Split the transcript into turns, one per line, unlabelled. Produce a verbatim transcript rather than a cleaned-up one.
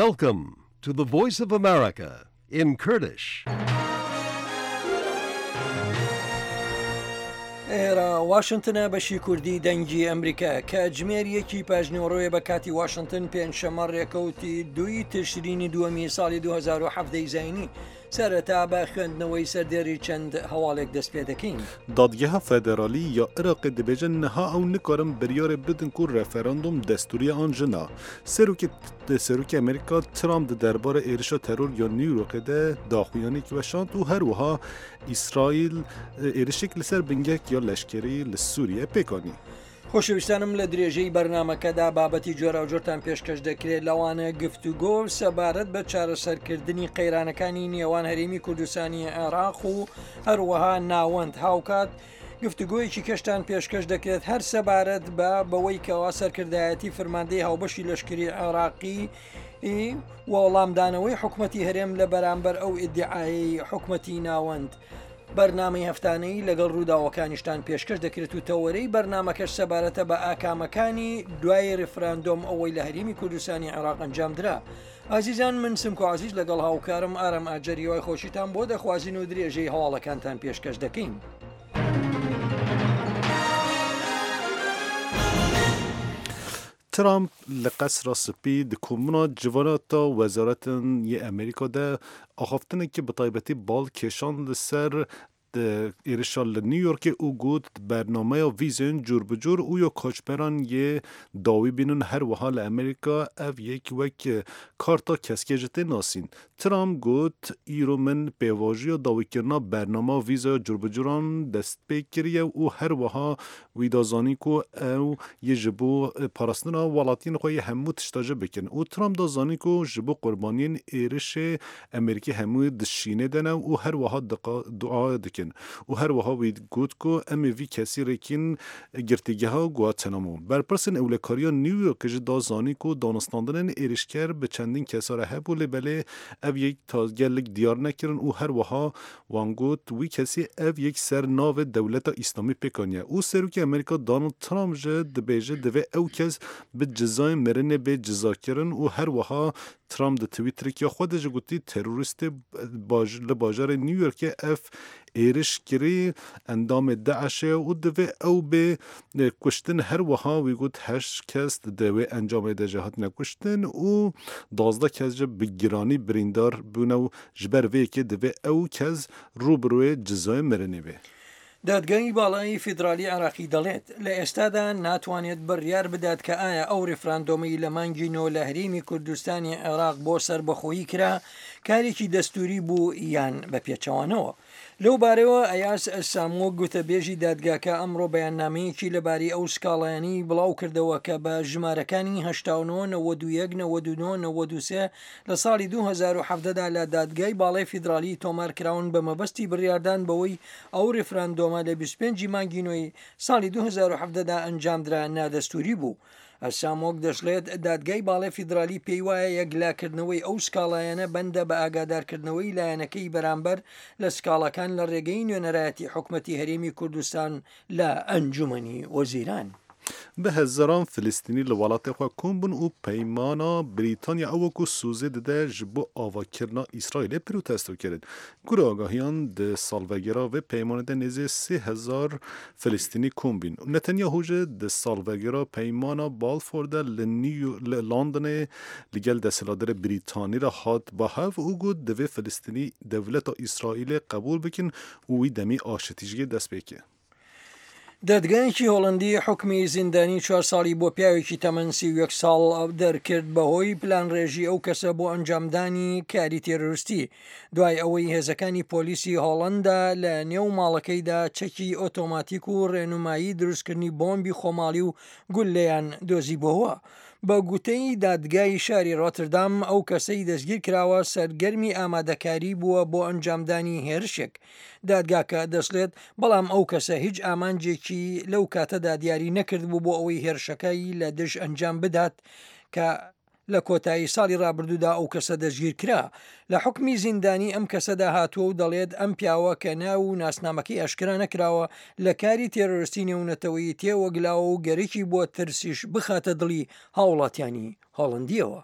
Welcome to the Voice of America in Kurdish.
ئێرە واشنتنە بەشی کوردی دەنگی ئەمریکا کاتژمێر یەکی پاژنیوەڕۆیە بە کاتی واشنتن پێنجشەممە ڕێکەوتی دووی تشرینی دووەمی ساڵی دوو هەزار و حەڤدە ی زایینی. سەرەتا بە خوێندنەوەی سەردێڕی چەند هەواڵێک دەست پێ دەکەین.
Dadgeha Federalî ya Iraqê dibêje niha ew nikarin biryarê bidin ku referandûm destûrî ye an jî na. Serokê Serokê Amerîka Trump di derbarê êrişa teror ya New Yorkê de daxuyaniyek weşand û her wiha Îsraîl êrişek li ser bingehek ya leşkerî li Sûriyeyê pêk anî.
خۆشەویستانم لە درێژەی بەرنامەکەدا بابەتی جۆراوجۆرتان پێشکەش دەکرێت لەوانە گفتوگۆ سەبارەت بە چارەسەرکردنی قەیرانەکانی نێوان هەرێمی کوردستانی عێراق و هەروەها ناوەند. هاوکات گفتوگۆیەکی کەشتان پێشکەش دەکرێت هەر سەبارەت بە بەوەی کەوا سەرکردایەتی فرماندەی هاوبەشی لەشکری عێراقی وەڵامدانەوەی حکومەتی هەرێم لە بەرامبەر ئەو ئیدعایەی حکومەتی ناوەند. بەرنامەی هەفتانەی لەگەڵ ڕووداوەکانیشتان پێشکەش دەکرێت و تەوەرەی بەرنامەکەش سەبارەتە بە ئاکامەکانی دوای ڕیفراندۆم ئەوەی لە هەرێمی کوردستانی عێراق ئەنجامدرا. ئازیزان من سمکۆ عزیز لەگەڵ هاوکارم ئارام ئاجەر هیوای خۆشیتان بۆ دەخوازین و درێژەی هەواڵەکانتان پێشکەش دەکەین.
Trump li Qesra Spî di komuna civanata wezaretên yê Amerîka de axaftinekî bi taybetî bal kêşan li ser êrişa li New Yorkê û got bernameya vîzên cûrbicûr û ya koçberan yê dawî bînin her wiha li Amerîka ev yek wek karta keskê ji tê nasîn. Trump got îro min pêvajoya dawîkirina bernama vîzaya cûrbicûran dest pê kiriye û her wiha wî da zanîn ku ew yê ji bo parastina welatiyên xwe yê hemû tişta ji bikin. Û Trump da zanîn ku ji bo qurbaniyên êrişê Amerîkî hemû di şînê de ne û her wiha dua dikin. Û her wiha wî got ku em ê vî kesî rêkîn girtîgeha Guantanamo. Berpirsên ewlekariya New Yorkê jî da zanîn ku danûstandinên êrişker bi çendîn kesa re hebû lê belê ev yek ta gelek diyar nekirin û her wiha wan got wî kesî ev yek ser navê dewleta Îslamî pêk aniye. Û Serokê Amerîka Donald Trump jî dibêje divê ew kes bi cezayên mirinê bê cezakirin û her wiha Trump di Twitterê ya xwe de jî gotî terorîstê li bajarê New Yorkê ev êriş kirî endamê DAIŞê û divê ew bê kuştin. Her wiha wî got heşt kes di wê encamê de jî hatine kuştin û duwazdeh kes jî bi giranî birîndar bûne û ji ber vê yekê divê ew kes rûbirûyê cezayê mirinê bê.
دادگای باڵای فیدرالی عێراقی دەڵێت لە ئێستادا ناتوانێت بڕیار بدات کە ئایا ئەو ڕیفراندۆمەی لە مانگی نۆ لە هەرێمی کوردستانی عێراق بۆ سەربەخۆیی کرا کارێکی دەستوری بوو یان بە پێچەوانەوە. لەو بارەوە ئەیاس سامۆ گوتەبێژی دادگاکە ئەمڕۆ بەیاننامەیەکی لەبارەی ئەو سکاڵایانەی بڵاو کردەوە کە بە ژمارەکانی هەشتا و نۆ نەوەد و یەک نەوەد و نۆ نەوەد و سێ لە ساڵی دوو هەزار و حەڤدە دا لە دادگای باڵای فیدرالی تۆمار کراون بە مەبەستی بڕیاردان بەوەی ئەو ڕیفراندۆمە لە بیست و پێنج مانگی نۆی ساڵی دوو هەزار و حەڤدە دا ئەنجامدرا نادەستوری بوو. ئەسامۆک دەشڵێت دادگای باڵای فیدرالی پێی وایە یەکلاکردنەوەی ئەو سکاڵایانە بەندە بە ئاگادارکردنەوەی لایەنەکەی بەرامبەر لە سکاڵاکان لە ڕێگەی نوێنەرایەتی حکومەتی هەرێمی کوردستان لە ئەنجومەنی وەزیران.
Bi hezaran Filistînî li welatê xwe kom bûn û peymana Brîtanya ew ku sozê dide ji bo avakirina Îsraîlê protesto kirin. Gurê agahiyan di salvegera vê peymanê de nêzî sê hezar Filistînî kom bûn. Netanyahu jî di salvegera peymana Balfour de li New li Londonê li gel desthilatdarê Brîtanî re hat ba hev û got divê Filistînî dewleta Îsraîlê qebûl bikin û wî demî aşitî jî dest pê ke.
دادگایەکی هۆڵەندی حکمی زیندانی چوار ساڵی بۆ پیاوێکی تەمەن سی و یەک ساڵ دەرکرد بەهۆی پلانڕێژی ئەو کەسە بۆ ئەنجامدانی کاری تێرۆریستی دوای ئەوەی هێزەکانی پۆلیسی هۆڵەندا لە نێو ماڵەکەیدا چەکی ئۆتۆماتیک و ڕێنمایی دروستکردنی بۆمبی خۆماڵی و گوللەیان دۆزیبۆوە. بە گوتەی دادگای شاری ڕۆتردام ئەو کەسەی دەستگیر کراوە سەرگەرمی ئامادەکاری بووە بۆ ئەنجامدانی هێرشێک. دادگاکە دەشڵێت بەڵام ئەو کەسە هیچ ئامانجێکی لەو کاتەدا دیاری نەکردبوو بۆ ئەوەی هێرشەکەی لە دژ ئەنجام بدات کە لە کۆتایی ساڵی ڕابردوودا ئەو کەسە دەستگیر کرا. لە حکمی زیندانی ئەم کەسەدا هاتووە و دەڵێت ئەم پیاوە کە ناو و ناسنامەکەی ئاشکرا نەکراوە لە کاری تێرۆریستی نێونەتەوەیی تێوەگلاوە و گەرەکی بۆ ترسیش بخاتە دڵی هاوڵاتیانی هۆڵندیەوە.